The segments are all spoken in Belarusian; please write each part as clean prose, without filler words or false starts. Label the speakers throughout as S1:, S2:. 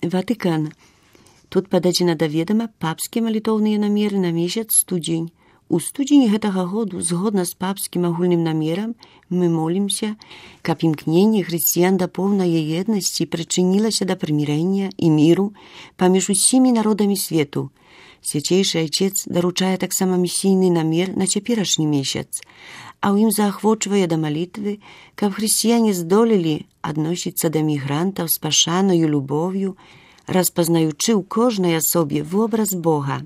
S1: Ватыкан. Тут пададзена да ведама папскія малітоўныя намеры на месяц студзень. У студзені гэтага году, згодна з папскім агульным намерам, мы молімся, каб імкненне хрысціян да поўнай еднасці прычынілася да прымірэння і міру паміж усімі народамі свету. Свячэйшы Айчэц даручае таксама місійны намер на цяперашні месяц, а ў ім заахвочвае да малітвы, каб хрысціяне здолелі адносіцца да мігрантаў з пашанаю любоўю, распазнаючы ў кожнай асобе вобраз Бога.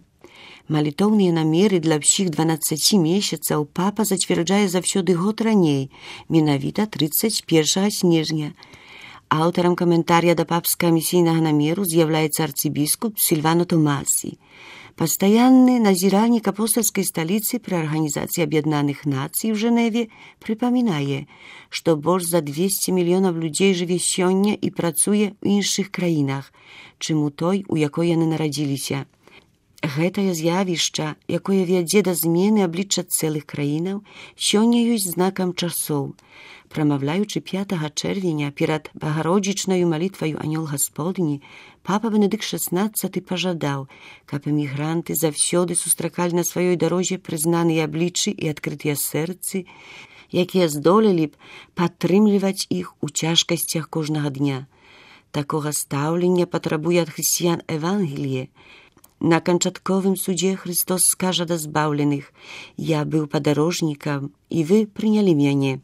S1: Малітоўныя намеры для ўсіх 12 месяцаў папа зацвярджае заўсёды год раней, менавіта 31 снежня. Аўтарам каментарыя да папскага місійнага намеру з'яўляецца арцыбіскуп Сільвано Томасі, пастаянны назіральнік апостальскай сталіцы пры Арганізацыі Аб'яднаных Нацый у Жэневе прыпамінае, што больш за 200 мільёнаў людзей жыве сёння і працуе ў іншых краінах, чым у той, у якой яны нарадзіліся. Гэтае з'явішча, якое вядзе да змены аблічча цэлых краінаў, сёння ёсць знакам часоў. Прамаўляючы 5 чэрвеня перад багародзічнаю малітваю Анёл Гасподні, папа Бенедыкт XVI пажадаў, каб эмігранты заўсёды сустракалі на сваёй дарозе прызнаныя абліччы і адкрытыя сэрцы, якія здолелі б падтрымліваць іх у цяжкасцях кожнага дня. Такога стаўлення патрабуе ад хрысціян Евангеліе. На канчатковым судзе Христос скажа да збаўленых: «Я быў падарожнікам, і вы прынялі мяне».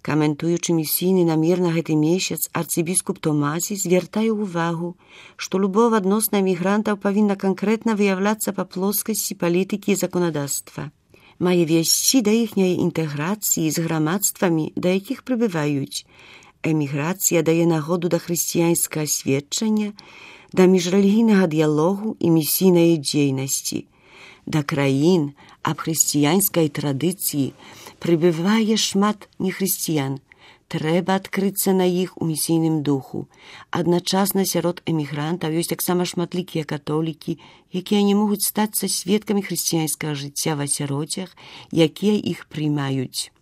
S1: Каментуючы місійны намер на гэты месяц, арцыбіскуп Томасі звяртае ўвагу, што любоў адносна эмігрантаў павінна канкрэтна выяўляцца па плоскасці палітыкі і заканадаўства. Мае весці да іхняй інтэграцыі з грамадствамі, да якіх прыбываюць. Эміграцыя дае нагоду да хрысціянскага сведчання, да міжрэлігійнага дыялогу і місійнай дзейнасці. Да краін аб хрысціянскай традыцыі прыбывае шмат нехрысціян. Трэба адкрыцца на іх у місійным духу. Адначасна сярод эмігрантаў ёсць таксама шматлікія католікі, якія не могуць стацца сведкамі хрысціянскага жыцця в асяроддзях, якія іх прымаюць.